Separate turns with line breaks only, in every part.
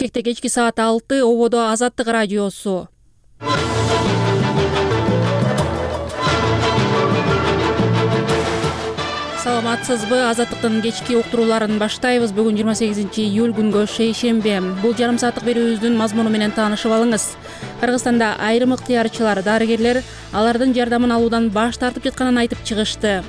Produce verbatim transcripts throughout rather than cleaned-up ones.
Бишкекте кечки саат алты, ободо Азаттык радиосу. Саламатсызбы? Азаттыктын кечки уктурууларын баштайбыз. Бүгүн жыйырма сегизинчи июль күнгө шейшембе. Бул жарым сааттык берүүбүздүн мазмуну менен таанышып алыңыз. Кыргызстанда айрым ыктыярчылар, дарыгерлер алардын жардамын алуудан баш тартып жатканын айтып чыгышты.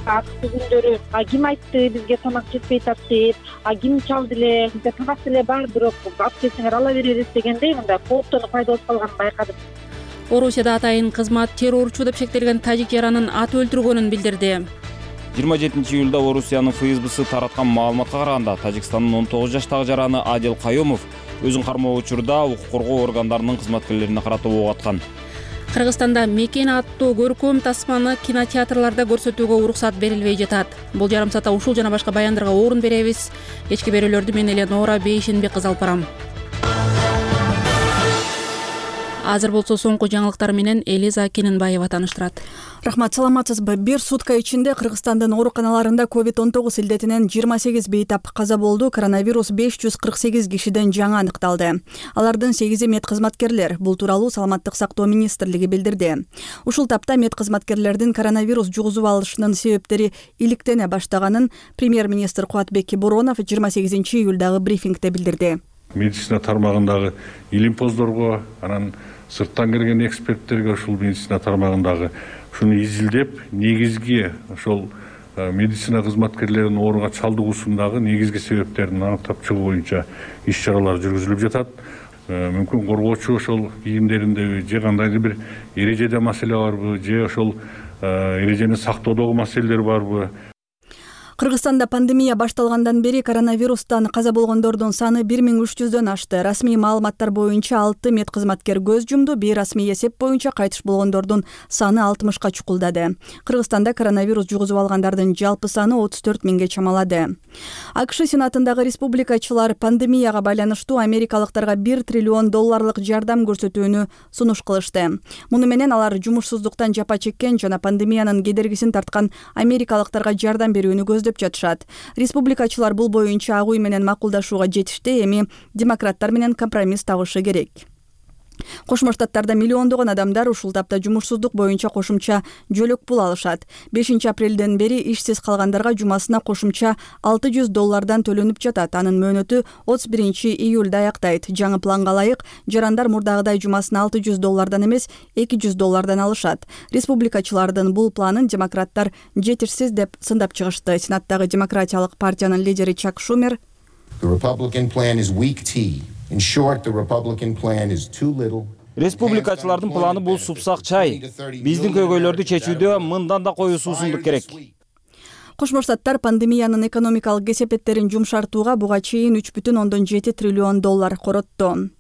Акты күндөрү ким айтты бизге тамак жетпей атат, а ким чалды эле, бизде тамак деле бар, бирок алып келсеңер ала беребиз дегендей мындай кооптонуп пайда болуп калганын байкадым.
Орусияда атайын кызмат террорчу деп шектелген тажик жаранын ат өлтүргөнүн билдирди.
жыйырма жетинчи июлда Орусиянын ФСБсы тараткан маалыматка караганда Тажикстандын он тогуз жаштагы жараны Адил Кайомов өзүн кармоо учурда укук коргоо органдарынын кызматкерлерине карата ок аткан.
Кыргызстанда Мекен аттуу көркөм тасманы кинотеатрларда көрсөтүүгө уруксат берилбей жатат. Бул жарым саатта ушул жана башка баяндарга орун беребиз. Кечки берүүлөрдү мен Эленора Бейшенбек кызы алып барам. Азыр болсо соңку жаңылыктар менен Элиза Кененбаева тааныштырат.
Рахмат, саламатсызбы? Бир сутка ичинде Кыргызстандын ооруканаларында ковид он тогуз илдетинен жыйырма сегиз бейтап каза болду. Коронавирус беш жүз кырк сегиз кишиден жаңы аныкталды. Алардын сегизи медкызматкерлер. Бул тууралуу Саламаттык сактоо министрлиги билдирди. Ушул тапта медкызматкерлердин коронавирус жугузуп алышынын себептери иликтене баштаганын премьер-министр Кубатбек Боронов жыйырма сегизинчи июлдагы брифингде билдирди.
Медицина тармагындагы илимпоздорго, анан сырттан келген эксперттерге ушул медицина тармагындагы ушуну изилдеп, негизги ошол медицина кызматкерлеринин ооруга чалдыгуусундагы негизги себептерин аныктап чыгуу боюнча иш-чаралар жүргүзүлүп жатат. Мүмкүн коргоочу ошол кийимдериндеби же кандайдыр бир эрежеде маселе барбы, же ошол эрежени сактоодогу маселелер барбы?
Кыргызстанда пандемия башталгандан бери коронавирустан каза болгондордун саны бир миң үч жүздөн ашты. Расмий маалыматтар боюнча алты медкызматкер көз жумду. Бейрасмий эсеп боюнча кайтыш болгондордун саны алтымышка чукулдады. Кыргызстанда коронавирус жугузуп алгандардын жалпы саны отуз төрт миңге чамалады. АКШ Сенатындагы республикачылар пандемияга байланыштуу америкалыктарга бир триллион долларлык жардам көрсөтүүнү сунуш кылышты. Муну менен алар жумушсуздуктан жапа чеккен жана пандемиянын кедергисин тарткан америкалыктарга жардам берүүнү көздөп жатышат. Республикачылар бул боюнча агуй менен макулдашууга жетишти, эми демократтар менен компромисс табышы керек. Кошмо Штаттарда миллиондогон адамдар ушул тапта жумушсуздук боюнча кошумча жөлөк пул алышат. бешинчи апрелден бери ишсиз калгандарга жумасына кошумча алты жүз доллардан төлөнүп жатат. Анын мөөнөтү отуз биринчи июлда аяктайт. Жаңы планга ылайык жарандар мурдагыдай жумасына алты жүз доллардан эмес эки жүз доллардан алышат. Республикачылардын бул планын демократтар жетишсиз деп сындап чыгышты. Сенаттагы демократиялык партиянын лидери Чак Шумер
In short, the Republican plan is too little.
Республикачылардын планы бул супсак чай. Биздин көйгөйлөрдү чечүүдө мындан да коюу суусундук керек.
Кошмо Штаттар пандемиянын экономикалык кесепеттерин жумшартууга буга чейин үч бүтүн ондон жети триллион доллар коротту.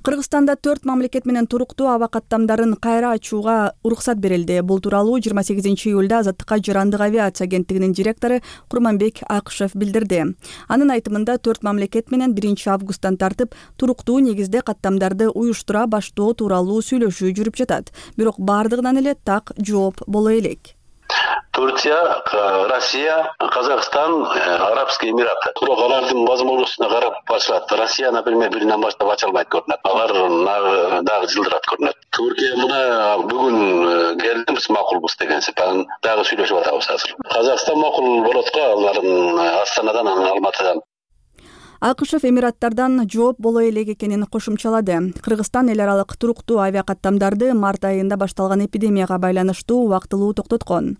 Кыргызстанда төрт мамлекет менен туруктуу аба каттамдарын кайра ачууга уруксат берилди. Бул тууралуу жыйырма сегизинчи июлда Азаттыкка жарандык авиация агенттигинин директору Курманбек Акышев билдирди. Анын айтымында төрт мамлекет менен биринчи августтан тартып туруктуу негизде каттамдарды уюштура баштоо тууралуу сүйлөшүү жүрүп жатат. Бирок бардыгынан эле так жооп боло элек.
Турция, Россия, Казахстан, Арабские Эмираты. Бирок алардын возможностуна карап башылат. Россия, например, биринен баштап ача албайт көрүнөт. Алар дагы жылдырат көрүнөт. Түркия мына бүгүн келдибиз, макулбуз деген сепен дагы сүйлөшүп атабыз азыр. Казакстан макул болот го, алардын Астанадан, Алматыдан.
Акышев Эмираттардан жооп боло элек экенин кошумчалады. Кыргызстан эл аралык туруктуу авиакаттамдарды март айында башталган эпидемияга байланыштуу убактылуу токтоткон.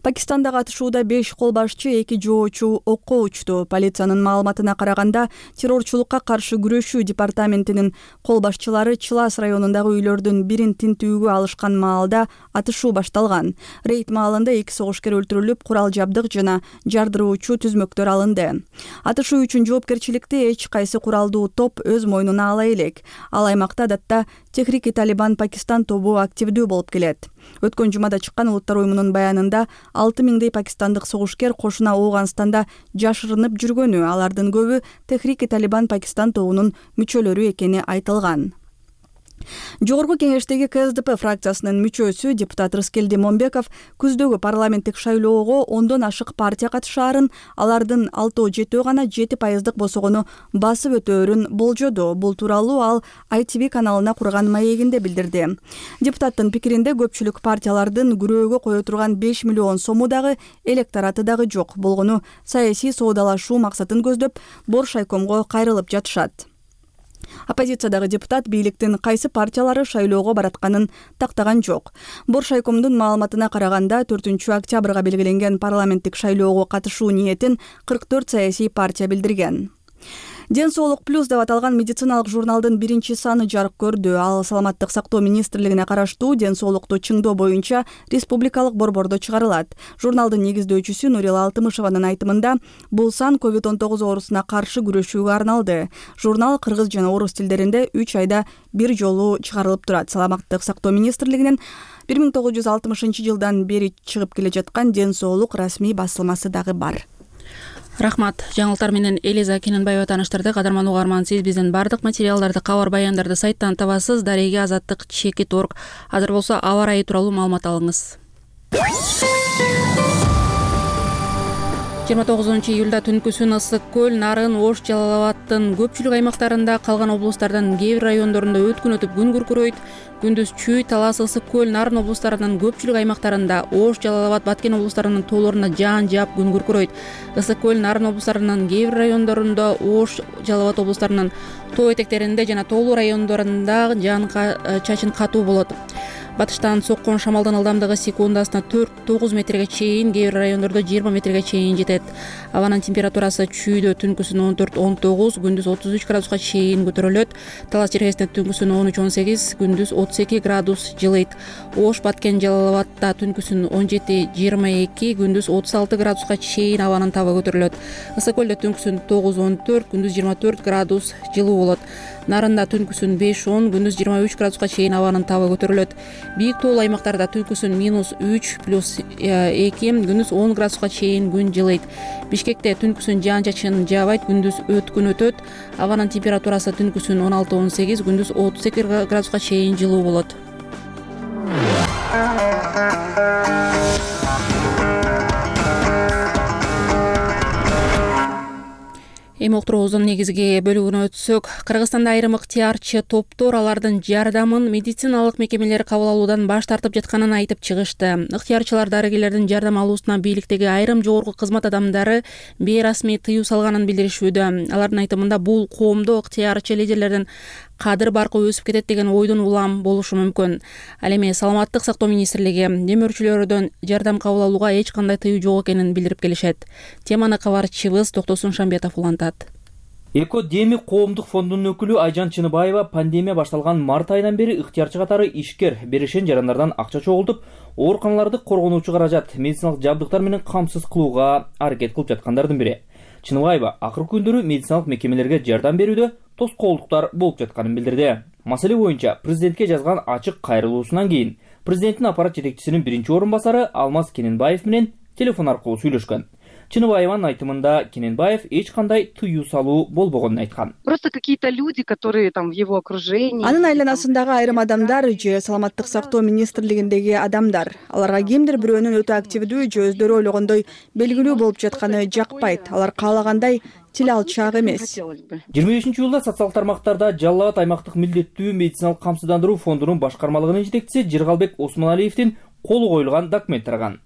Пакистандагы атышууда беш кол башчы, эки жоочу окко учту. Полициянын маалыматына караганда, террорчулукка каршы күрөшүү департаментинин кол башчылары Чылас районундагы үйлөрдүн бирин тинтүүгө алышкан маалда атышуу башталган. Рейд маалында эки согушкер өлтүрүлүп, курал жабдык жана жардыруучу түзмөктөр алынды. Атышуу үчүн жоопкерчиликти эч кайсы куралдуу топ өз мойнуна ала элек. Ал аймакта адатта Техрики Талибан Пакистан тобу активдүү болуп келет. Өткөн жумада чыккан улуттар уюмунун баянында алты миңдей пакистандык согушкер кошуна Ооганстанда жашырынып жүргөнү, алардын көбү Техрики Талибан Пакистан тобунун мүчөлөрү экени айтылган. Жогорку кеңештеги Ка Эс Де Пе фракциясынын мүчөсү депутат Рыскелди Момбеков күздөгү парламенттик шайлоого ондон ашык партия катышаарын, алардын алтөө жетөө гана жети пайыздык босогону басып өтөөрүн болжоду. Бул тууралуу ал Ай Ти Ви каналына курган маегинде билдирди. Депутаттын пикиринде көпчүлүк партиялардын күрөөгө кое турган беш миллион сому дагы электораты дагы жок болгону саясий соодалашуу максатын көздөп Боршайкомго кайрылып жатышат. Оппозициядагы депутат бийликтин кайсы партиялары шайлоого баратканын тактаган жок. Боршайкомдун маалыматына караганда төртүнчү октябрга белгиленген парламенттик шайлоого катышуу ниетин кырк төрт саясий партия билдирген. Ден соолук плюс деп аталган медициналык журналдын биринчи саны жарык көрдү. Ал саламаттык сактоо министрлигине караштуу ден соолукту чыңдоо боюнча республикалык борбордо чыгарылат. Журналдын негиздөөчүсү Нурила Алтымышеванын айтымында бул сан ковид он тогуз оорусуна каршы күрөшүүгө арналды. Журнал кыргыз жана орус тилдеринде үч айда бир жолу чыгарылып турат. Саламаттык сактоо министрлигинин бир миң тогуз жүз алтымышынчы жылдан бери чыгып келе жаткан ден соолук расмий басылмасы дагы бар.
Рахмат. Жаңылыктар менен Элиза Кененбаева тааныштырды. Кадарман угарман, сиз биздин бардык материалдарды, кабар баяндарды сайттан табасыз. Дареге азаттык чекит точка орг. Азыр болсо аба ырайы тууралуу маалымат алыңыз. жыйырма тогузунчу июлда түнкүсүн Ысык көл, Нарын, Ош, Жалал Абадтын көпчүлүк аймактарында, калган облустардын кээ бир райондорунда өткүн өтүп күн күркүрөйт. Күндүз Чүй, Талас, Ысык көл, Нарын облустарынын көпчүлүк аймактарында, Ош, Жалал Абад, Баткен облустарынын тоолоруна жаан жаап күн күркүрөйт. Ысык көл, Нарын облустарынын кээ бир райондорунда, Ош, Жалал Абад облустарынын тоо этектеринде жана тоолуу райондорунда жаан чачын катуу болот. Батыштан соккон шамалдын ылдамдыгы секундасына төрт тогуз метрге чейин, кээ бир райондордо жыйырма метрге чейин жетет. Абанын температурасы Чүйдө түнкүсүн он төрт он тогуз, күндүз отуз үч градуска чейин көтөрүлөт. Талас Черкесинде түнкүсүн он үч он сегиз, күндүз отуз эки градус жылыйт. Ош, Баткен, Жалал Абадта түнкүсүн он жети жыйырма эки, күндүз отуз алты градуска чейин абанын табы көтөрүлөт. Ысык көлдө түнкүсүн тогуз он төрт, күндүз жыйырма төрт градус жылуу болот. Нарында түнкүсүн беш он, күндүз жыйырма үч градуска чейин абанын табы көтөрүлөт. Бийик тоолуу аймактарда түнкүсүн минус үч плюс эки, күндүз он градуска чейин күн жылыйт. Бишкекте түнкүсүн жаан чачын жаабайт, күндүз өткүн өтөт. Абанын температурасы түнкүсүн он алты он сегиз, күндүз отуз эки градуска чейин жылуу болот. Эми уктуруубуздун негизги бөлүгүнө өтсөк, Кыргызстанда айрым ыктыярчы топтор алардын жардамын медициналык мекемелер кабыл алуудан баш тартып жатканын айтып чыгышты. Ыктыярчылар дарыгерлердин жардам алуусуна бийликтеги айрым жогорку кызмат адамдары бейрасмий тыюу салганын билдиришүүдө. Алардын айтымында бул коомдо ыктыярчы лидерлердин кадыр баркы өсүп кетет деген ойдун улам болушу мүмкүн. Ал эми саламаттык сактоо министрлиги демөөрчүлөрдөн жардам кабыл алууга эч кандай тыюу жок экенин билдирип келишет. Теманы кабарчыбыз Токтосун Шамбетов улантат.
Эко Деми коомдук фондунун өкүлү Айжан Чыныбаева пандемия башталган март айынан бери ыктыярчы катары ишкер беришен жарандардан акча чогултуп, ооруканаларды коргонуучу каражат, медициналык жабдыктар менен камсыз кылууга аракет кылып жаткандардын бири. Чыныбаева акыркы күндөрү медициналык мекемелерге жардам берүүдө тоскоолдуктар болуп жатканын билдирди. Маселе боюнча президентке жазган ачык кайрылуусунан кийин президенттин аппарат жетекчисинин биринчи орун басары Алмаз Кененбаев менен телефон аркылуу сүйлөшкөн. Чыныбаеванын айтымында Кененбаев эч кандай тыюу салуу болбогонун айткан.
Просто какие-то люди, которые там в его окружении.
Анын айланасындагы айрым адамдар же саламаттык сактоо министрлигиндеги адамдар, аларга кимдир бирөөнүн өтө активдүү же өздөрү ойлогондой белгилүү болуп жатканы жакпайт. Алар каалагандай тил алчак эмес.
жыйырма бешинчи июлда социалдык тармактарда Жалал Абад аймактык милдеттүү медициналык камсыздандыруу фондунун башкармалыгынын жетекчиси Жыргалбек Осмоналиевдин колу коюлган документ тараган.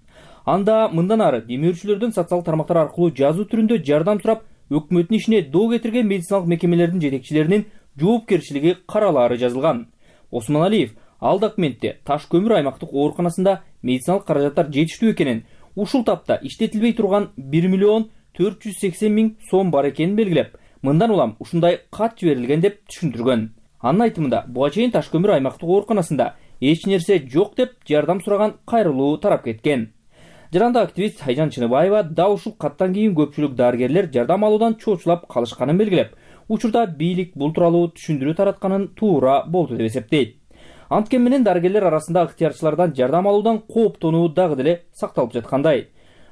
Анда мындан ары демөөрчүлөрдөн социалдык тармактар аркылуу жазуу түрүндө жардам сурап, өкмөттүн ишине доо кетирген медициналык мекемелердин жетекчилеринин жоопкерчилиги каралаары жазылган. Осмоналиев ал документте Таш көмүр аймактык ооруканасында медициналык каражаттар жетиштүү экенин, ушул тапта иштетилбей турган бир миллион төрт жүз сексен миң сом бар экенин белгилеп, мындан улам ушундай кат жиберилген деп түшүндүргөн. Анын айтымында буга чейин Таш көмүр аймактык ооруканасында эч нерсе жок деп жардам сураган кайрылуу тарап кеткен. Жаранда активист Айжан Чыныбаева да ушул каттан кийин көпчүлүк дарыгерлер жардам алуудан чоочулап калышканын белгилеп, учурда бийлик бул тууралуу түшүндүрүү таратканын туура болду деп эсептейт. Анткени менен дарыгерлер арасында ыктыярчылардан жардам алуудан кооптонуу дагы деле сакталып жаткандай.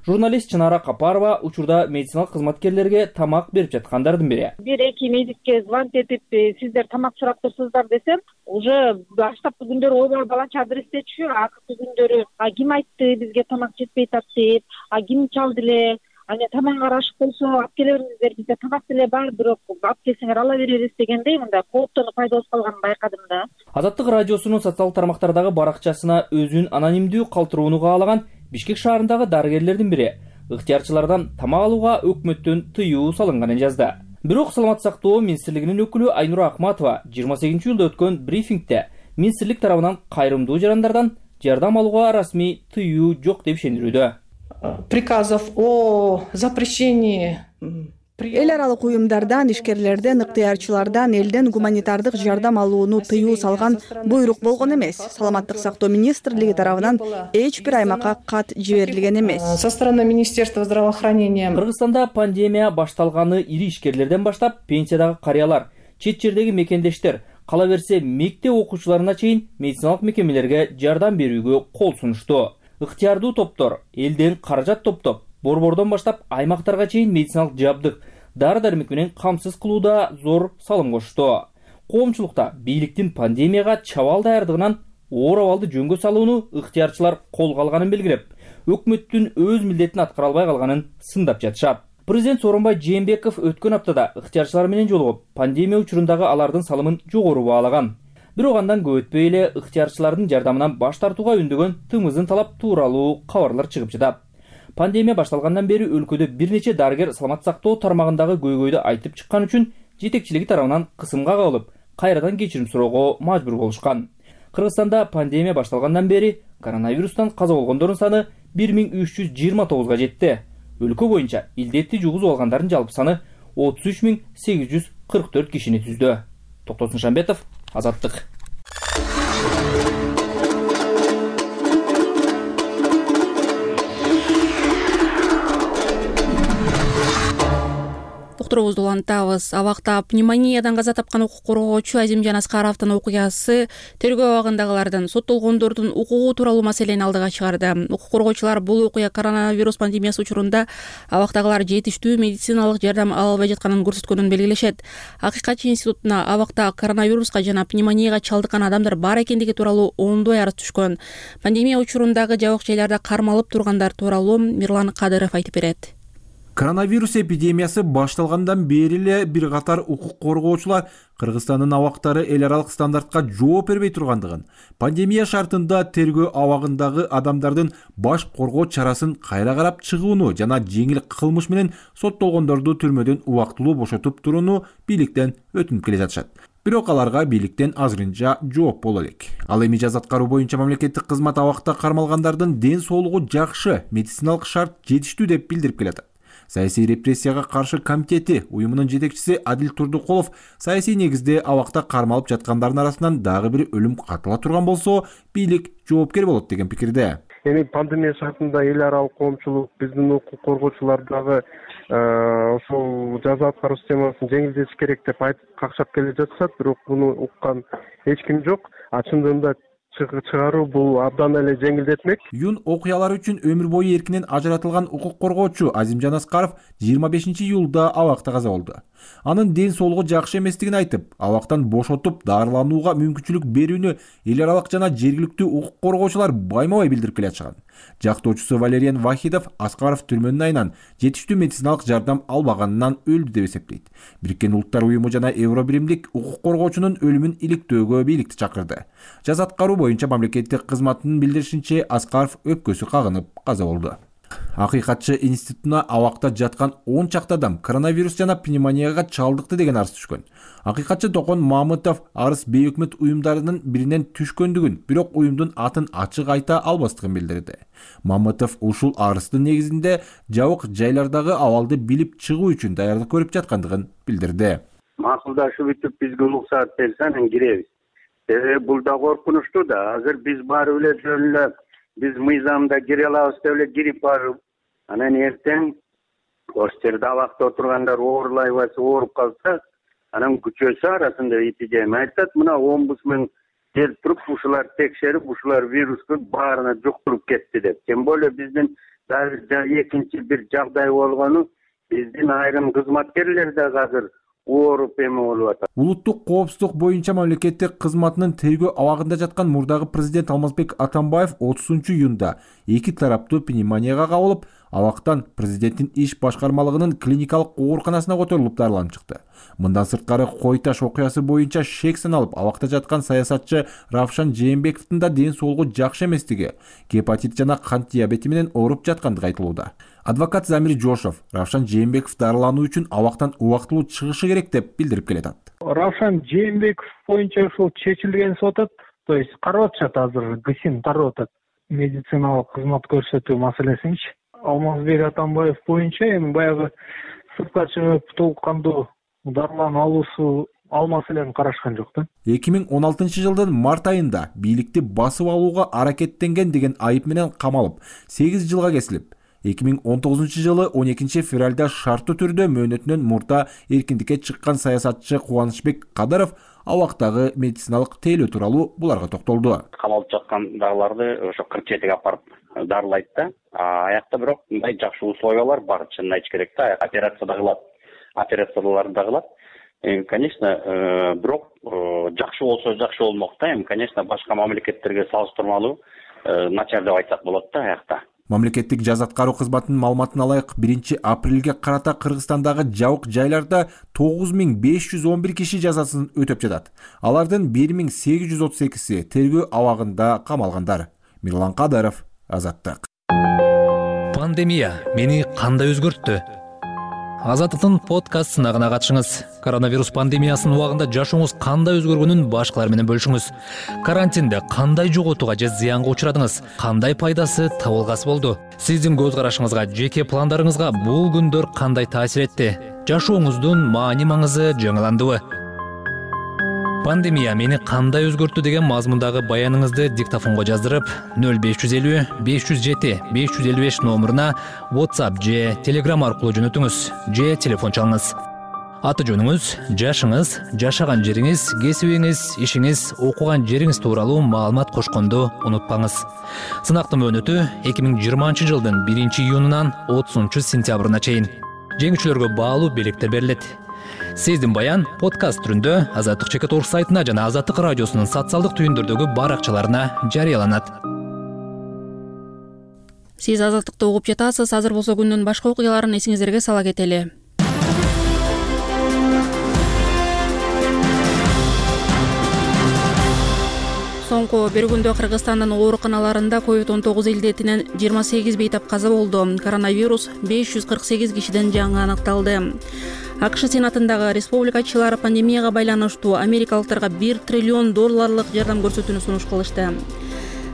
Журналист Чынара Капарова учурда медициналык кызматкерлерге тамак берип жаткандардын бири.
Бир эки медикке звонить этип, сиздер тамак сурап турсуздар десем, уже баштапкы күндөрү ойбой баланча адрестечү, акыркы күндөрү а ким айтты бизге тамак жетпей атат деп, а ким чалды эле, аны тамак арашык болсо алып келе бериңиздер, бизде тамак деле бар, бирок алып келсеңер ала беребиз дегендей мындай кооптонуп пайда болуп калганын байкадым да.
Азаттык радиосунун социалдык тармактардагы баракчасына өзүн анонимдүү калтырууну каалаган Бишкек шаарындагы дарыгерлердин бири ыктыярчылардан тамак алууга өкмөттөн тыюу салынганын жазды. Бирок саламаттык сактоо министрлигинин өкүлү Айнура Акматова жыйырма сегизинчи июлда өткөн брифингде министрлик тарабынан кайрымдуу жарандардан жардам алууга расмий тыюу жок деп ишендирүүдө.
Приказов о запрещении
эл аралык уюмдардан, ишкерлерден, ыктыярчылардан элден гуманитардык жардам алууну тыюу салган буйрук болгон эмес. Саламаттык сактоо министрлиги тарабынан эч бир аймакка кат жиберилген эмес.
Со стороны Министерства здравоохранения.
Кыргызстанда пандемия башталганы ири ишкерлерден баштап пенсиядагы карыялар, чет жердеги мекендештер, кала берсе мектеп окуучуларына чейин медициналык мекемелерге жардам берүүгө кол сунушту. Ыктыярдуу топтор элден каражат топтоп, борбордон баштап аймактарга чейин медициналык жабдык, дары-дармек менен камсыз кылууда зор салым кошту. Коомчулукта бийликтин пандемияга чабал даярдыгынан оор абалды жөнгө салууну ыктыярчылар колго алганын белгилеп, өкмөттүн өз милдетин аткара албай калганын сындап жатышат. Президент Сооронбай Жээнбеков өткөн аптада ыктыярчылар менен жолугуп, пандемия учурундагы алардын салымын жогору баалаган. Бирок андан көп өтпөй эле ыктыярчылардын жардамынан баш тартууга үндөгөн тымыздын талап тууралуу кабарлар чыгып жатат. Пандемия башталгандан бери өлкөдө бир нече дарыгер саламаттык сактоо тармагындагы көйгөйдү айтып чыккан үчүн жетекчилиги тарабынан кысымга кабылып, кайрадан кечирим суроого мажбур болушкан. Кыргызстанда пандемия башталгандан бери коронавирустан каза болгондордун саны бир миң үч жүз жыйырма тогузга жетти. Өлкө боюнча илдетти жугузуп алгандардын жалпы саны отуз үч миң сегиз жүз кырк төрт кишини түздү. Токтосун Шамбетов, Азаттык.
Уктуруубузду улантабыз. Абакта пневмониядан каза тапкан укук коргоочу Азимжан Аскаровдун окуясы тергөө абагындагылардын соттолгондордун укугу тууралуу маселени алдыга чыгарды. Укук коргоочулар бул окуя коронавирус пандемиясы учурунда абактагылар жетиштүү медициналык жардам ала албай жатканын көрсөткөнүн белгилешет. Акыйкатчы институтуна абакта коронавируска жана пневмонияга чалдыккан адамдар бар экендиги тууралуу ондой арыз түшкөн. Пандемия учурундагы жабык жайларда кармалып тургандар тууралуу Мирлан Кадыров айтып берет.
Коронавирус эпидемиясы башталгандан бери эле бир катар укук коргоочулар Кыргызстандын абактары эл аралык стандартка жооп бербей тургандыгын, пандемия шартында тергөө абагындагы адамдардын баш коргоо чарасын кайра карап чыгууну жана жеңил кылмыш менен соттолгондорду түрмөдөн убактылуу бошотуп турууну бийликтен өтүнүп келе жатышат. Бирок аларга бийликтен азырынча жооп боло элек. Ал эми жаз аткаруу боюнча мамлекеттик кызмат абакта кармалгандардын ден соолугу жакшы, медициналык шарт жетиштүү деп билдирип келатат. Саясий репрессияга каршы комитети уюмунун жетекчиси Адил Турдукулов саясий негизде абакта кармалып жаткандардын арасынан дагы бир өлүм катыла турган болсо, бийлик жоопкер болот деген пикирде.
Эми пандемия шартында эл аралык коомчулук биздин укук коргоочулар дагы ошол жаза аткаруу системасын жеңилдетиш керек деп айтып какшап келе жатышат, бирок муну уккан эч ким жок. А чындыгында чыгаруу бул абдан эле жеңилдетмек.
Юн окуялар үчүн өмүр бою эркинен ажыратылган укук коргоочу Азимжан Аскаров жыйырма бешинчи июлда абакта каза болду. Анын ден соолугу жакшы эместигин айтып, абактан бошотуп дарыланууга мүмкүнчүлүк берүүнү эл аралык жана жергиликтүү укук коргоочулар байма-бай билдирип келе жатышкан. Жактоочусу Валериан Вахидов Аскаров түрмөнүн айынан жетиштүү медициналык жардам албаганынан өлдү деп эсептейт. Бириккен Улуттар уюму жана Евро биримдик укук коргоочунун өлүмүн иликтөөгө бийликти чакырды. Жаз аткаруу боюнча мамлекеттик кызматтын билдиришинче Аскаров өпкөсү кагынып каза болду. Акыйкатчы институтуна абакта жаткан он чакты адам коронавирус жана пневмонияга чалдыкты деген арыз түшкөн. Акыйкатчы Токон Мамытов арыз бейөкмөт уюмдарынын биринен түшкөндүгүн, бирок уюмдун атын ачык айта албастыгын билдирди. Мамытов ушул арыздын негизинде жабык жайлардагы абалды билип чыгуу үчүн даярдык көрүп жаткандыгын билдирди.
Макулдашып бүтүп бизге уруксат берсе анан киребиз. Себеби бул да коркунучтуу да. Азыр биз барып эле жөн эле биз мыйзамда кире алабыз деп эле кирип барып, анан эртең ош жерде абакта отургандар оорлай баса, ооруп калса, анан күчөсө арасында эпидемия айтат. Мына омбудсмен келип туруп, ушулар текшерип, ушулар вирусту баарына жуктуруп кетти деп. Тем более биздин экинчи бир жагдай болгону биздин айрым кызматкерлер да азыр ооруп эме болуп атат.
Улуттук коопсуздук боюнча мамлекеттик кызматынын тергөө абагында жаткан мурдагы президент Алмазбек Атамбаев отузунчу июнда эки тараптуу пневмонияга кабылып, абактан президенттин иш башкармалыгынын клиникалык ооруканасына которулуп дарыланып чыкты. Мындан сырткары Кой Таш окуясы боюнча шек саналып абакта жаткан саясатчы Равшан Жээнбековдун да ден соолугу жакшы эместиги, гепатит жана кант диабети менен ооруп жаткандыгы айтылууда. Адвокат Замир Жошов Равшан Жээнбеков дарылануу үчүн абактан убактылуу чыгышы керек деп билдирип келет.
Равшан Жээнбеков боюнча ушул чечилген деп атат. То есть карап атышат азыр ГСИН тарап атат. Медициналык кызмат көрсөтүү маселесинчи. Алмазбек Атамбаев боюнча эми баягы сыртка чыгып толук кандуу дарылануу алуусу ал маселени карашкан жок да.
эки миң он алтынчы жылдын март айында бийликти басып алууга аракеттенген деген айып менен камалып, сегиз жылга кесилип, эки миң он тогузунчу жылы он экинчи февралда шарттуу түрдө мөөнөтүнөн мурда эркиндикке чыккан саясатчы Кубанычбек Кадыров абактагы медициналык тейлөө тууралуу буларга токтолду.
Камалып жаткандарларды ошо кырк жетиге апарып дарылайт да. Аякта бирок мындай жакшы условиялар бар, чынын айтыш керек да. Операция да кылат, операцияларды да кылат. Конечно, бирок жакшы болсо жакшы болмок да. Эми конечно башка мамлекеттерге салыштырмалуу начар деп айтсак болот да аякта.
Мамлекеттик жаза аткаруу кызматынын маалыматына ылайык биринчи апрелге карата Кыргызстандагы жабык жайларда тогуз миң беш жүз он бир киши жазасын өтөп жатат. Алардын бир миң сегиз жүз отуз экиси тергөө абагында камалгандар. Мирлан Кадыров, Азаттык.
Пандемия мени кандай өзгөрттү? Азаттыктын подкаст сынагына катышыңыз. Коронавирус пандемиясынын убагында жашооңуз кандай өзгөргөнүн башкалар менен бөлүшүңүз. Карантинде кандай жоготууга же зыянга учурадыңыз? Кандай пайдасы табылгасы болду? Сиздин көз карашыңызга, жеке пландарыңызга бул күндөр кандай таасир этти? Жашооңуздун маани маңызы жаңыландыбы? Пандемия мени кандай өзгөрттү деген мазмундагы баяныңызды диктофонго жаздырып нөл беш жүз элүү беш жүз жети беш жүз элүү беш номуруна WhatsApp же Telegram аркылуу жөнөтүңүз же телефон чалыңыз. Аты жөнүңүз, жашыңыз, жашаган жериңиз, кесибиңиз, ишиңиз, окуган жериңиз тууралуу маалымат кошконду унутпаңыз. Сынактын мөөнөтү эки миң жыйырманчы жылдын биринчи июнунан отузунчу сентябрына чейин. Жеңүүчүлөргө баалуу белектер берилет. Сиздин баян подкаст түрүндө Азаттык чекит орг сайтына жана Азаттык радиосунун социалдык түйүндөрдөгү баракчаларына жарыяланат.
Сиз Азаттыкты угуп жатасыз. Азыр болсо күндүн башка окуяларын эсиңиздерге сала кетели. Соңку бир күндө Кыргызстандын ооруканаларында ковид он тогуз илдетинен жыйырма сегиз бейтап каза болду. Коронавирус беш жүз кырк сегиз кишиден жаңы аныкталды. АКШ Сенатындагы республикачылар пандемияга байланыштуу америкалыктарга бир триллион долларлык жардам көрсөтүүнү сунуш кылышты.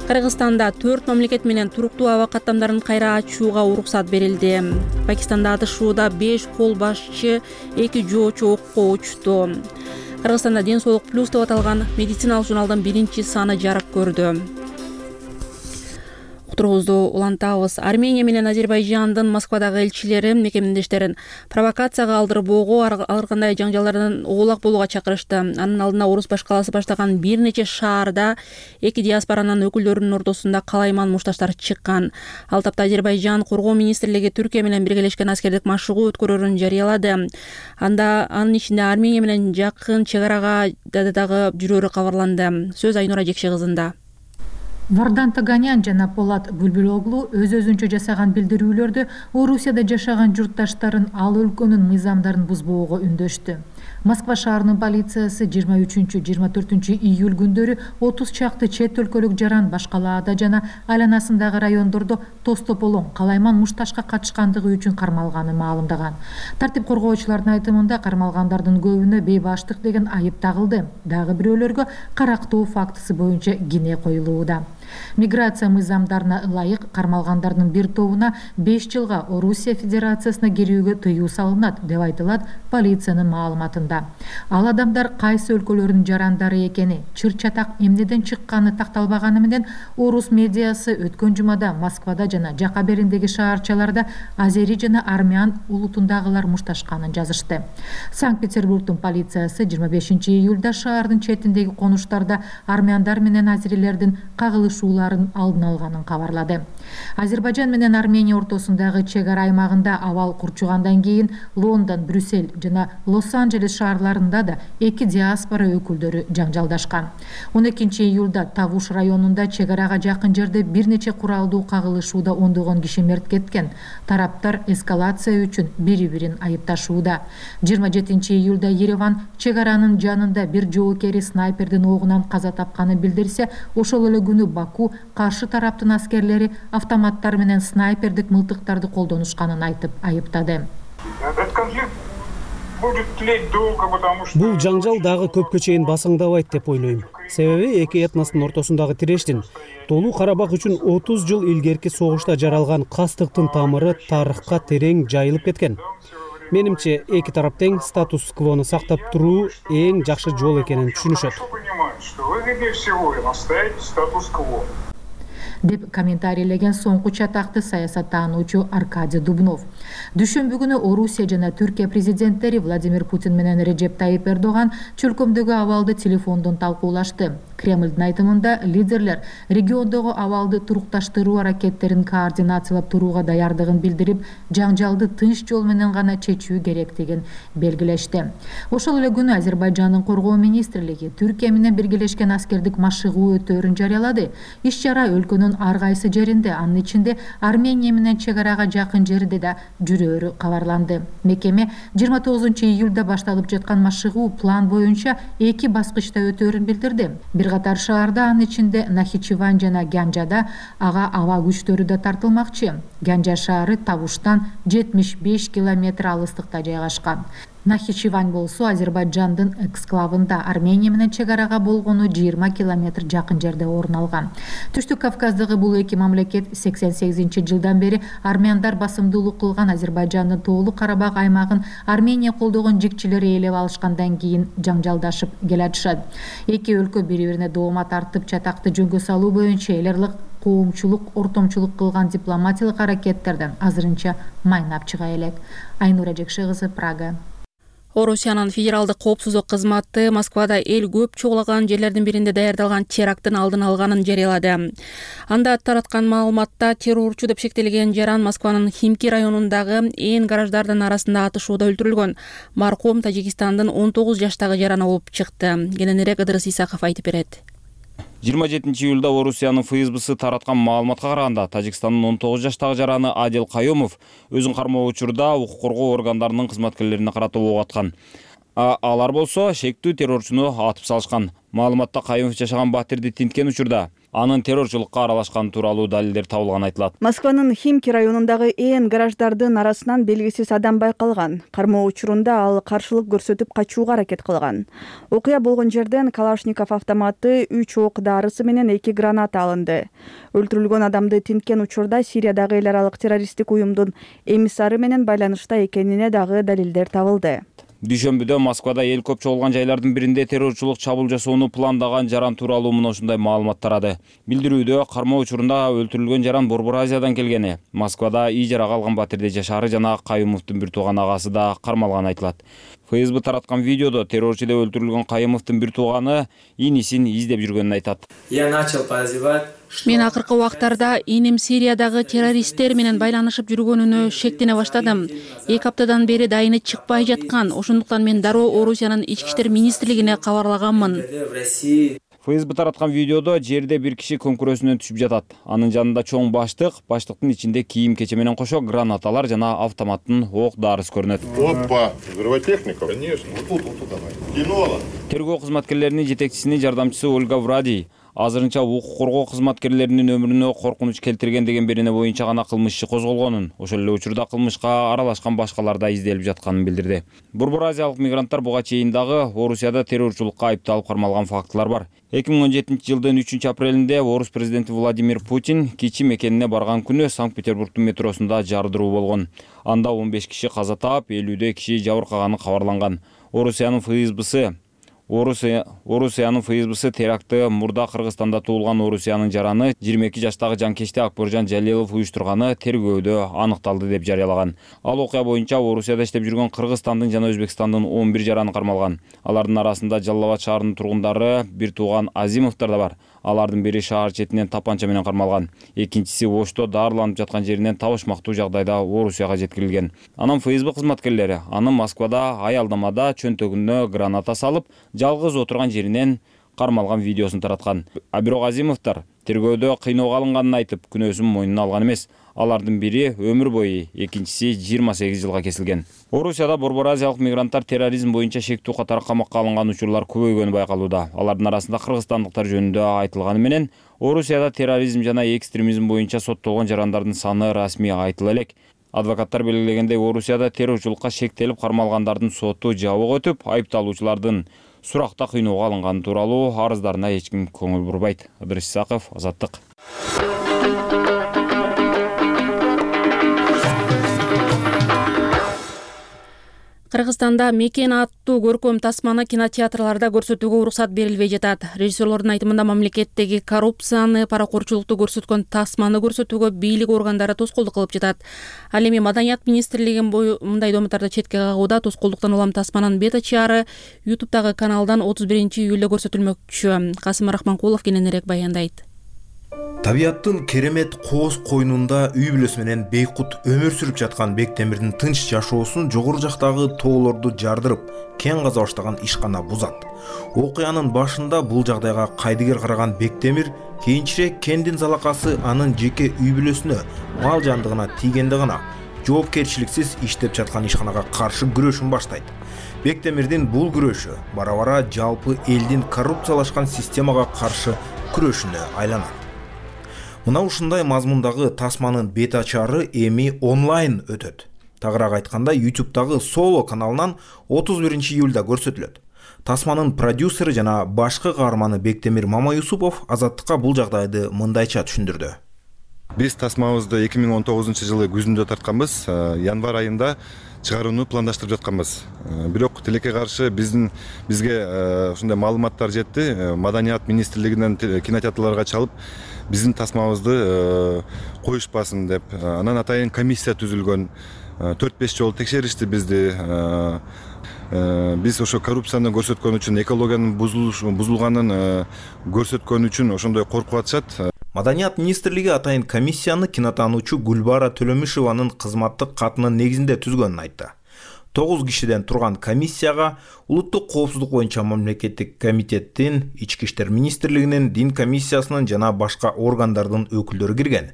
Кыргызстанда төрт мамлекет менен туруктуу аба каттамдарын кайра ачууга уруксат берилди. Пакистанда атышууда беш кол башчы, эки жоочу окко учту. Кыргызстанда Ден соолук плюс деп аталган медициналык журналдын биринчи саны жарык көрдү. Уктуруубузду улантабыз. Армения менен Азербайжандын Москвадагы элчилери мекемдештерин провокацияга алдырбоого, ар кандай жаңжалдардан оолак болууга чакырышты. Анын алдына орус башкаласы баштаган бир нече шаарда эки диаспоранын өкүлдөрүнүн ортосунда калайман мушташтар чыккан. Ал тапта Азербайжан коргоо министрлиги Түркия менен биргелешкен аскердик машыгуу өткөрөрүн жарыялады. Анда анын ичинде Армения менен жакын чек арага дагы жүрөөрү кабарланды. Сөз Айнура Жекше кызында.
Вардан Таганян жана Полат Бүлбүлоглу өз өзүнчө жасаган билдирүүлөрдө Орусияда жашаган журтташтарын ал өлкөнүн мыйзамдарын бузбоого үндөштү. Москва шаарынын полициясы жыйырма үчүнчү жыйырма төртүнчү июль күндөрү отуз чакты чет өлкөлүк жаран Башкалаада жана айланасындагы райондордо тоз тополоң калайман мушташка катышкандыгы үчүн кармалганын маалымдаган. Тартип коргоочулардын айтымында кармалгандардын көбүнө бейбаштык деген айып тагылды. Дагы бирөөлөргө карактоо фактысы боюнча кине коюлууда. Миграция мыйзамдарына ылайык кармалгандардын бир тобуна беш жылга Орусия Федерациясына кирүүгө тыюу салынат деп айтылат полициянын маалыматында. кабарланууда. Ал адамдар кайсы өлкөлөрдүн жарандары экени, чыр чатак эмнеден чыкканы такталбаганы менен орус медиасы өткөн жумада Москвада жана жака бериндеги шаарчаларда азери жана армян улутундагылар мушташканын жазышты. Санкт-Петербургдун полициясы жыйырма бешинчи июлда шаардын четиндеги конуштарда армяндар менен азерилердин кагылышууларын алдын алганын кабарлады. Азербайжан менен Армения ортосундагы чек ара аймагында абал курчугандан кийин Лондон, Брюссель жана Лос-Анджелес шаарларында да эки диаспора өкүлдөрү жаңжалдашкан. он экинчи июлда Тавуш районунда чек арага жакын жерде бир нече куралдуу кагылышууда ондогон киши мерт кеткен. Тараптар эскалация үчүн бири-бирин айыпташууда. жыйырма жетинчи июлда Ереван чек аранын жанында бир жоокери снайпердин огунан каза тапканын билдирсе, ошол эле күнү Баку каршы тараптын аскерлери автоматтар менен снайпердик мылтыктарды колдонушканын айтып айыптады.
Бул жаңжал дагы көпкө чейин басыңдабайт деп ойлойм. Себеби эки этностун ортосундагы тирештин Толуу Карабак үчүн отуз жыл илгерки согушта жаралган кастыктын тамыры тарыхка терең жайылып кеткен. Менимче, эки тарап тең статус-квону сактап туруу эң жакшы жол экенин түшүнүшөт.
деп комментарийлеген соңку чатакты саясаттануучу Аркадий Дубнов. Дүйшөмбү күнү Орусия жана Түркия президенттери Владимир Путин менен Реджеп Тайип Эрдоган чөлкөмдөгү абалды телефондон талкуулашты. Кремлдин айтымында лидерлер региондогу абалды турукташтыруу аракеттерин координациялап турууга даярдыгын билдирип, жаңжалды тынч жол менен гана чечүү керектигин белгилешти. Ошол эле күнү Азербайжандын коргоо министрлиги Түркия менен биргелешкен аскердик машыгуу өтөөрүн жарыялады. Иш-чара өлкөнүн ар кайсы жеринде, анын ичинде Армения менен чек арага жакын жерде да жүрөөрү кабарланды. Мекеме жыйырма тогузунчу июлда башталып жаткан машыгуу план боюнча эки баскычта өтөөрүн билдирди. Бир катар шаарда, анын ичинде Нахичевань жана Гянжада ага аба күчтөрү да тартылмакчы. Гянжа шаары Тавуштан жетимиш беш километр алыстыкта жайгашкан. Нахичевань болсо Азербайжандын эксклавында, Армения менен чек арага болгону жыйырма километр жакын жерде орун алган. Түштүк Кавказдагы бул эки мамлекет сексен сегизинчи жылдан бери армяндар басымдуулук кылган Азербайжандын Тоолуу Карабак аймагын Армения колдогон жикчилери ээлеп алышкандан кийин жаңжалдашып келатышат. Эки өлкө бири-бирине доомат тартып чатакты жөнгө салуу боюнча эл аралык коомчулук, ортомчулук кылган дипломатиялык аракеттерден азырынча майнап чыга элек. Айнура Жекше кызы, Прага.
Орусиянын федералдык коопсуздук кызматы Москвада эл көп чогулаган жерлердин биринде даярдалган теракттын алдын алганын жарыялады. Анда тараткан маалыматта террорчу деп шектелген жаран Москванын Химки районундагы ээн гараждардын арасында атышууда өлтүрүлгөн. Маркум Тажикстандын он тогуз жаштагы жараны болуп чыкты. Кененирээк Ыдырыс Исаков айтып берет.
жыйырма жетинчи июлда Орусиянын ФСБсы тараткан маалыматка караганда Тажикстандын он тогуз жаштагы жараны Адил Кайомов өзүн кармоо учурда укук коргоо органдарынын кызматкерлерине карата ок аткан. Алар болсо шектүү террорчуну атып салышкан. Маалыматта Кайомов жашаган батирди тинткен учурда анын террорчулукка аралашканы тууралуу далилдер табылганы айтылат.
Москванын Химки районундагы ээн гараждардын арасынан белгисиз адам байкалган. Кармоо учурунда ал каршылык көрсөтүп качууга аракет кылган. Окуя болгон жерден Калашников автоматы, үч ок дарысы менен эки граната алынды. Өлтүрүлгөн адамды тинткен учурда Сириядагы эл аралык террористтик уюмдун эмиссары менен байланышта экенине дагы далилдер табылды.
Дүйшөмбүдө Москвада эл көп чогулган жайлардын биринде террорчулук чабуул жасоону пландаган жаран тууралуу мына ушундай маалымат тарады. Билдирүүдө кармоо учурунда өлтүрүлгөн жаран Борбор Азиядан келгени, Москвада ижарага алган батирде жашаары жана Кайымовдун бир тууган агасы да кармалганы айтылат. ФСБ тараткан видеодо террорчу деп өлтүрүлгөн Кайымовдун бир тууганы инисин издеп жүргөнүн айтат.
Я начал подозревать.
Мен акыркы убактарда иним Сириядагы террористтер менен байланышып жүргөнүнө шектене баштадым. эки аптадан бери дайыны чыкпай жаткан. Ошондуктан мен дароо Орусиянын ички иштер министрлигине кабарлаганмын.
ФСБ тараткан видеодо жерде бир киши көмкүрөсүнөн түшүп жатат. Анын жанында чоң баштык, баштыктын ичинде кийим кече менен кошо гранаталар жана автоматтын ок дарысы көрүнөт.
Опа, взрывотехника? Конечно. Вот тут, вот тут давай. Кинола.
Тергөө кызматкерлеринин жетекчисинин жардамчысы Ольга Вради азырынча укук коргоо кызматкерлеринин өмүрүнө коркунуч келтирген деген берене боюнча гана кылмыш иши козголгонун, ошол эле учурда кылмышка аралашкан башкалар да изделип жатканын билдирди. Борбор Азиялык мигранттар буга чейин дагы Орусияда террорчулукка айыпталып кармалган фактылар бар. эки миң он жетинчи жылдын үчүнчү апрелинде орус президенти Владимир Путин кичи мекенине барган күнү Санкт-Петербургдун метросунда жардыруу болгон. Анда он беш киши каза таап, элүүдөй киши жабыркаганы кабарланган. Орусиянын ФСБсы Орусиянын ФСБсы теракты мурда Кыргызстанда туулган Орусиянын жараны жыйырма эки жаштагы жанкечти Акборжон Жалилов уюштурганы тергөөдө аныкталды деп жарыялаган. Ал окуя боюнча Орусияда иштеп жүргөн Кыргызстандын жана Өзбекстандын он бир жараны кармалган. Алардын арасында Жалал Абад шаарынын тургундары, бир тууган Азимовдор да бар. Алардын бири шаар четинен тапанча менен кармалган. Экинчиси Ошто дарыланып жаткан жеринен табышмактуу жагдайда Орусияга жеткирилген. Анан ФСБ кызматкерлери аны Москвада аялдамада чөнтөгүнө граната салып, жалгыз отурган жеринен кармалган видеосун тараткан. А бирок Азимовдор тергөөдө кыйноого алынганын айтып, күнөөсүн мойнуна алган эмес. Алардын бири өмүр бою, экинчиси жыйырма сегиз жылга кесилген. Орусияда Борбор Азиялык мигранттар терроризм боюнча шектүү катары камакка алынган учурлар көбөйгөнү байкалууда. Алардын арасында кыргызстандыктар жөнүндө айтылганы менен, Орусияда терроризм жана экстремизм боюнча соттолгон жарандардын саны расмий айтыла элек. Адвокаттар белгилегендей, Орусияда террорчулукка шектелип кармалгандардын соту жабык өтүп, айыпталуучулардын суракта кыйноого алынганы тууралуу арыздарына эч ким көңүл бурбайт. Ыдырыс Исаков, Азаттык.
Кыргызстанда Мекен аттуу көркөм тасманы кинотеатрларда көрсөтүүгө уруксат берилбей жатат. Режиссерлордун айтымында мамлекеттеги коррупцияны, паракорчулукту көрсөткөн тасманы көрсөтүүгө бийлик органдары тоскоолдук кылып жатат. Ал эми Маданият министрлиги мындай домуттарды четке кагууда. Тоскоолдуктан улам тасманын бета чыгары ютубтагы каналдан отуз биринчи июлда көрсөтүлмөкчү. Касым Рахманкулов кененирээк баяндайт.
Табияттын керемет кооз койнунда үй бүлөсү менен бейкут өмүр сүрүп жаткан Бектемирдин тынч жашоосун жогору жактагы тоолорду жардырып, кен каза баштаган ишкана бузат. Окуянын башында бул жагдайга кайдыгер караган Бектемир кийинчерээк кендин залакасы анын жеке үй бүлөсүнө, мал жандыгына тийгенде гана жоопкерчиликсиз иштеп жаткан ишканага каршы күрөшүн баштайт. Бектемирдин бул күрөшү бара-бара жалпы элдин коррупциялашкан системага каршы күрөшүнө айланат. Мына ушундай мазмундагы тасманын бет ачары эми онлайн өтөт. Тагыраак айтканда, ютубтагы Соло каналынан отуз биринчи июлда көрсөтүлөт. Тасманын продюсери жана башкы каарманы Бектемир Мамаюсупов Азаттыкка бул жагдайды мындайча түшүндүрдү.
Биз тасмабызды эки миң он тогузунчу жылы күзүндө тартканбыз, январь айында чыгарууну пландаштырып жатканбыз. Бирок тилекке каршы биздин бизге ушундай маалыматтар жетти. Маданият министрлигинен кинотеатрларга чалып, биздин тасмабызды коюшпасын деп, анан атайын комиссия түзүлгөн, төрт беш жолу текшеришти бизди. Биз ошо коррупцияны көрсөткөн үчүн, экологиянын бузулганын көрсөткөн үчүн ошондой коркуп атышат.
Маданият министрлиги атайын комиссияны кинотаануучу Гүлбара Төлөмишованын кызматтык катынын негизинде түзгөнүн айтты. тогуз кишиден турган комиссияга улуттук коопсуздук боюнча мамлекеттик комитеттин, Ички иштер министрлигинин, дин комиссиясынын жана башка органдардын өкүлдөрү кирген.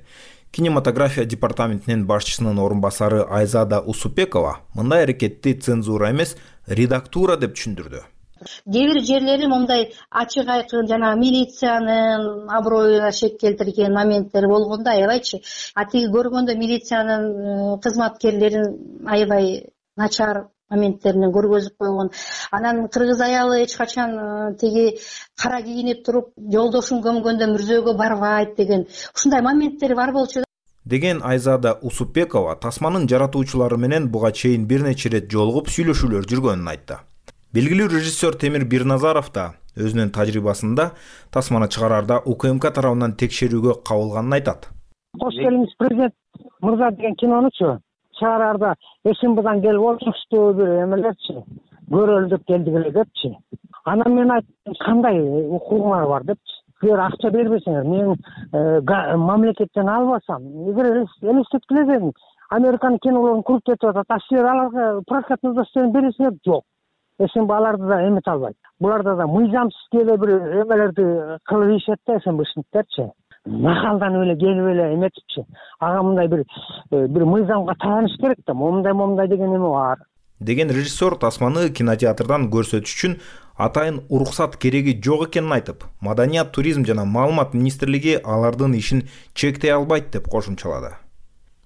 Кинематография департаментинин башчысынын орун басары Айзада Усупекова мындай аракетти цензура эмес, редактура деп түшүндүрдү.
Кээ бир жерлери мындай ачык айкын жана милициянын аброюна шек келтирген моменттер болгондо аябайчы. А тиги көргөндө милициянын кызматкерлерин аябай начар моменттеринен көргөзүп койгон. Анан кыргыз аялы эч качан тиги кара кийинип туруп жолдошун көмгөндө мүрзөөгө барбайт деген ушундай моменттер бар болчу
деген Айзада Усупекова тасманын жаратуучулары менен буга чейин бир нече ирет жолугуп сүйлөшүүлөр жүргөнүн айтты. Белгилүү режиссер Темир Бирназаров да өзүнүн тажрыйбасында тасманы чыгарарда УКМК тарабынан текшерүүгө кабылганын айтат.
Кош келиңиз президент мырза деген кинонучу чыгарарда эсимбудан келип олчуштуу бир эмелерчи көрөлү деп келдик эле депчи. Анан мен айттым, кандай укугуңар бар депчи. Силер акча бербесеңер, мен мамлекеттен албасам, эгер элестеткиле дедим. Американын кинолорун куруп кетип атат, а силер аларга прокатный удостоверение бересиңер? Жок. Эсенбі аларды да эмет албайт. Буларда да мыйзамсыз келе бир эмелерди кылып ийишет да эсенбишниктерчи. Нахалдан эле келип эле эметипчи. Ага мындай бир бир мыйзамга таяныш керек да, момундай момундай деген эме бар.
Деген режиссер тасманы кинотеатрдан көрсөтүш үчүн атайын уруксат кереги жок экенин айтып, Маданият, туризм жана маалымат министрлиги алардын ишин чектей албайт деп кошумчалады.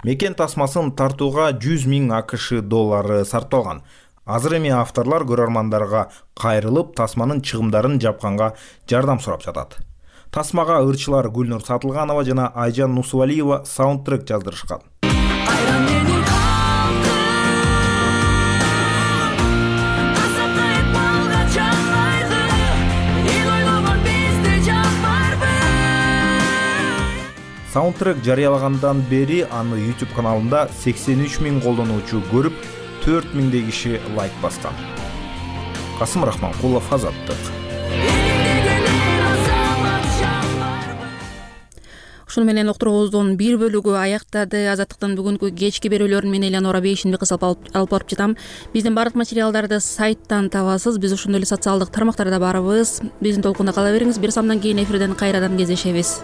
Мекен тасмасын тартууга жүз миң АКШ доллары сарпталган. Азыр эми авторлор көрөрмандарга кайрылып, тасманын чыгымдарын жапканга жардам сурап жатат. Тасмага ырчылар Гүлнур Сатылганова жана Айжан Нусувалиева саундтрек жаздырышкан.
Айран менен калдым, азаптай
Саундтрек жарыялагандан бери аны YouTube каналында сексен үч миң колдонуучу көрүп, төрт миңдей киши лайк баскан. Касым Рахманкулов, Азаттык.
Ушуну менен уктуруубуздун бир бөлүгү аяктады. Азаттыктын бүгүнкү кечки берүүлөрүн мен Элеонора Бейшинбек алып барып жатам. Биздин бардык материалдарды сайттан табасыз. Биз ошондой эле социалдык тармактарда барбыз. Биздин толкунда кала бериңиз. Бир самдан кийин эфирден кайрадан кездешебиз.